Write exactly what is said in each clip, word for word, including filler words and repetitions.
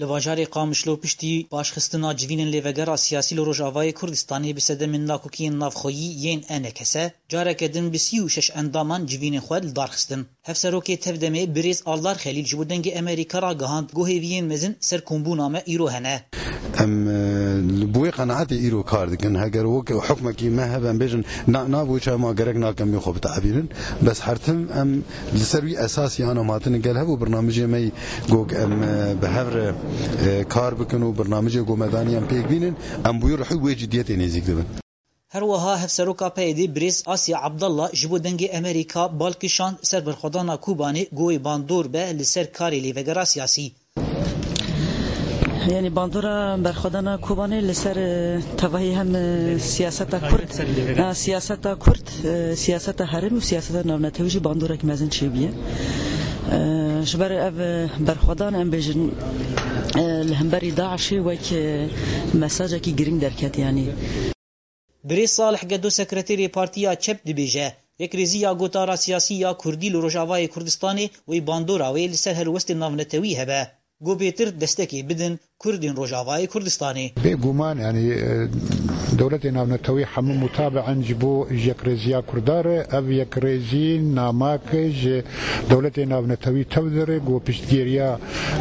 Li bajarê Qamişlo piştî paşxistina civînên lêvegera siyasî li Rojavayê Kurdistanê bi sedemên nakokiyên navxweyî yên E N K S, careke din bi sî û şeş endaman civînên xwe li dar xistin. Hevserokê Tevdemê Birêz Aldar Xelîl ji bo Dengê Amerîka ragihand ku hêviyên mezin ser kombûna me îro hene. Em, e, li bo wê qenaetê îro kar dikin. Heger wek hukmekî me hebe, em bêjin, na, nav û çawa ma gerek nakin bê xwe bitebînin. Bes her tim em li ser wî esasî anam hatine gel hev û birnamijê me yî gog em, e, bi hev re, e, kar bikin û birnamijê ku me danî em pêk bînin, em bi wî rihî wê ciddiyetê nêzîk dibin. Her wiha Hevseroka P Y D'ê Birêz Asya Abdallah ji bo Dengê Amerîka bal kişand ser berxwedana Kobanê ku wê bandor be li ser karê lêvegera siyasî. Yanî bandora berxwedana Kobanê li ser, e, tevahî hem, e, siyaseta Kurd, ha, siyaseta Kurd, e, siyaseta herêm û siyaseta navnetewî jî bandorek mezin çêbûye. E, ji ber ev, e, berxwedan em bêjin, e, li hemberî DAIŞê wek, e, mesajekî girîng derket yanî. Birêz Salih Gedo sekreterê Partiya Çep dibêje, yekrêziya gotara siyasî ya Kurdî li Rojavayê Kurdistanê wê bandora wê li ser helwestên navnetewî hebe. Ku bêtir destekê bidin Kurdên Rojavayê Kurdistanê. Bêguman, yanî, e, dewletê navnetewî hemû mutabe in ji bo yekrêziya Kurda re. Ev yekrêzî namak ji dewletê navnetewî tev dire ku piştgiriya,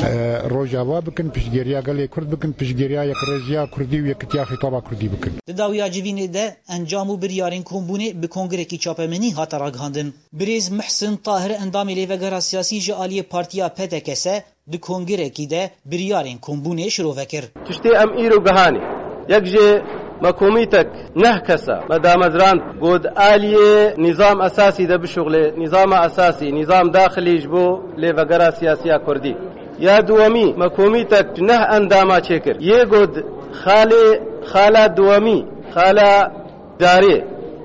e, Rojava bikin, piştgiriya gelê Kurd bikin, piştgiriya yekrêziya Kurdî û yekitiya xîtaba Kurdî bikin. Di dawiya civînê de encam û biryarên kombûnê bi kongrekî çapemenî hate ragihandin. Birêz Mihsin Tahir endamê lêvegera siyasî ji aliyê partiya P D K S di kongirekî de biryarên kombûnê şirove kir. Tiştê em îro gihanê. Yek jê me komîtek neh kesa me damezrand got aliyê nîzam esasî de bişuxlê, nîzama esasî, nîzam daxilî ji bo lêvegera siyasiya Kurdî. Ya duwemî me komîtek ji neh endama çêkir. Yê got xalê, xala duwemî, xala darê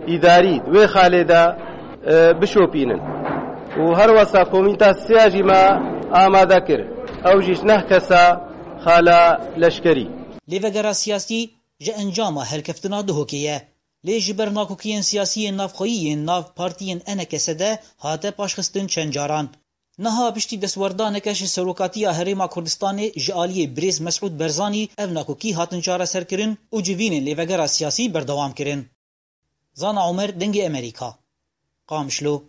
îdarî di wê xalê de, e, bişopînin. Û her wesa komîta siya jî me amade kir. Ew jî ji neh kesa xala leşkerî. Lêvegera siyasî ji encama helkeftina Duhokê ye. Lê ji ber nakokiyên siyasî yên navxweyî yên nav partiyên E N K S de hate paşxistin çend caran. Niha piştî destwerdaneke ji Serokatiya Herêma Kurdistanê ji aliyê Birêz Mesûd Berzanî ev nakokî hatin çareserkirin û civînên lêvegera siyasî berdewam kirin. Zana Omer, Dengê Emerîka, Qamişlo.